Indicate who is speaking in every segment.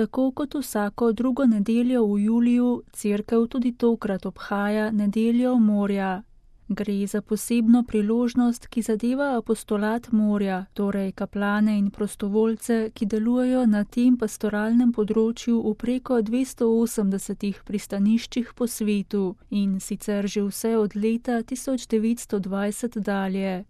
Speaker 1: Tako kot vsako drugo nedeljo v juliju, cerkev tudi tokrat obhaja nedeljo morja. Gre za posebno priložnost, ki zadeva apostolat morja, torej kaplane in prostovoljce, ki delujejo na tem pastoralnem področju v preko 280 pristaniščih po svetu in sicer že vse od leta 1920 dalje.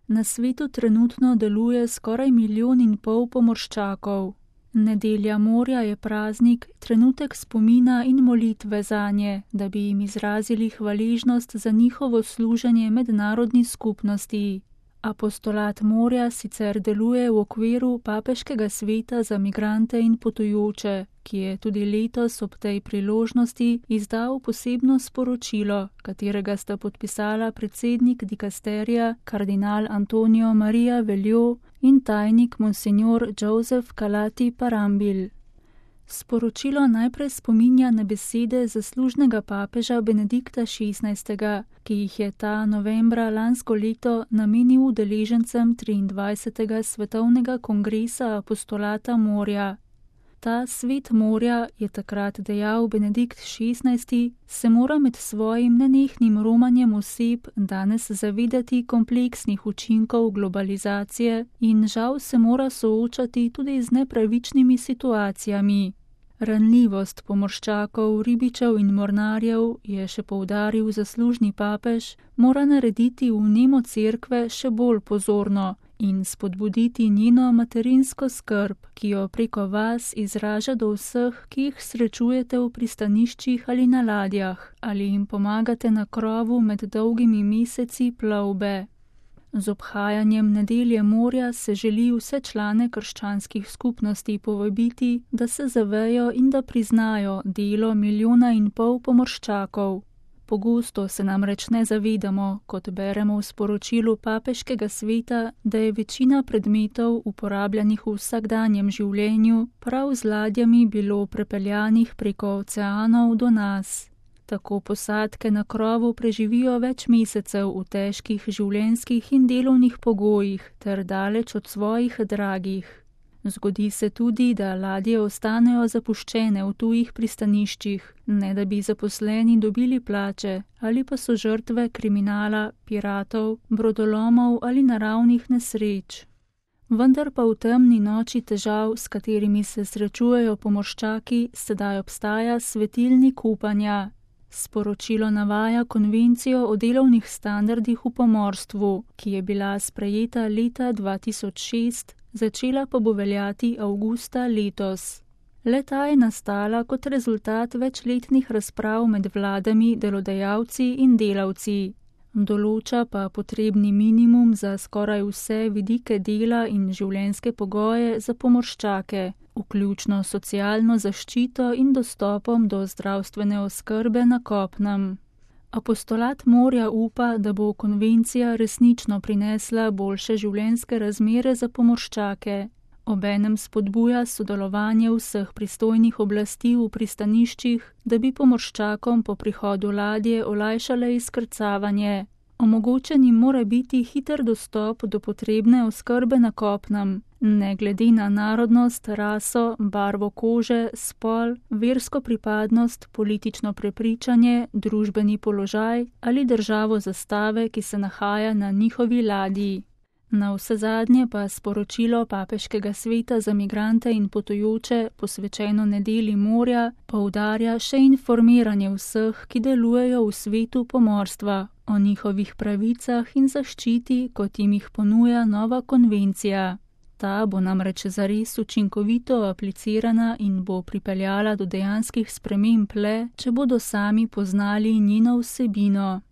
Speaker 1: Na svetu trenutno deluje skoraj 1,5 milijona pomorščakov. Nedelja morja je praznik, trenutek spomina in molitve zanje, da bi jim izrazili hvaležnost za njihovo služenje mednarodni skupnosti. Apostolat morja sicer deluje v okviru Papeškega sveta za migrante in potujoče, ki je tudi letos ob tej priložnosti izdal posebno sporočilo, katerega sta podpisala predsednik dikasterija kardinal Antonio Maria Veljo in tajnik monsignor Joseph Calati Parambil. Sporočilo najprej spominja na besede zaslužnega papeža Benedikta XVI., ki jih je ta novembra lansko leto namenil udeležencem 23. svetovnega kongresa apostolata morja. Ta svet morja, je takrat dejal Benedikt XVI., se mora med svojim nenehnim romanjem oseb danes zavedati kompleksnih učinkov globalizacije in žal se mora soočati tudi z nepravičnimi situacijami. Ranljivost pomorščakov, ribičev in mornarjev, je še poudaril zaslužni papež, mora narediti vnemo cerkve še bolj pozorno in spodbuditi njeno materinsko skrb, ki jo preko vas izraža do vseh, ki jih srečujete v pristaniščih ali na ladjah, ali jim pomagate na krovu med dolgimi meseci plovbe. Z obhajanjem nedelje morja se želi vse člane krščanskih skupnosti povabiti, da se zavejo in da priznajo delo 1,5 milijona pomorščakov. Pogosto se namreč ne zavedamo, kot beremo v sporočilu Papeškega sveta, da je večina predmetov uporabljanih v vsakdanjem življenju prav z ladjami bilo prepeljanih preko oceanov do nas. Tako posadke na krovu preživijo več mesecev v težkih življenjskih in delovnih pogojih ter daleč od svojih dragih. Zgodi se tudi, da ladje ostanejo zapuščene v tujih pristaniščih, ne da bi zaposleni dobili plače, ali pa so žrtve kriminala, piratov, brodolomov ali naravnih nesreč. Vendar pa v temni noči težav, s katerimi se srečujejo pomorščaki, sedaj obstaja svetilnik upanja. Sporočilo navaja konvencijo o delovnih standardih v pomorstvu, ki je bila sprejeta leta 2006, začela pa bo veljati avgusta letos. Le-ta je nastala kot rezultat večletnih razprav med vladami, delodajalci in delavci. Določa pa potrebni minimum za skoraj vse vidike dela in življenjske pogoje za pomorščake, vključno socialno zaščito in dostopom do zdravstvene oskrbe na kopnem. Apostolat morja upa, da bo konvencija resnično prinesla boljše življenjske razmere za pomorščake. Obenem spodbuja sodelovanje vseh pristojnih oblasti v pristaniščih, da bi pomorščakom po prihodu ladje olajšale izkrcavanje. Omogočen jim mora biti hiter dostop do potrebne oskrbe na kopnem, ne glede na narodnost, raso, barvo kože, spol, versko pripadnost, politično prepričanje, družbeni položaj ali državo zastave, ki se nahaja na njihovi ladji. Navsezadnje pa sporočilo Papeškega sveta za migrante in potujoče, posvečeno nedelji morja, poudarja še informiranje vseh, ki delujejo v svetu pomorstva, o njihovih pravicah in zaščiti, kot jim jih ponuja nova konvencija. Ta bo namreč zares učinkovito aplicirana in bo pripeljala do dejanskih sprememb le, če bodo sami poznali njeno vsebino.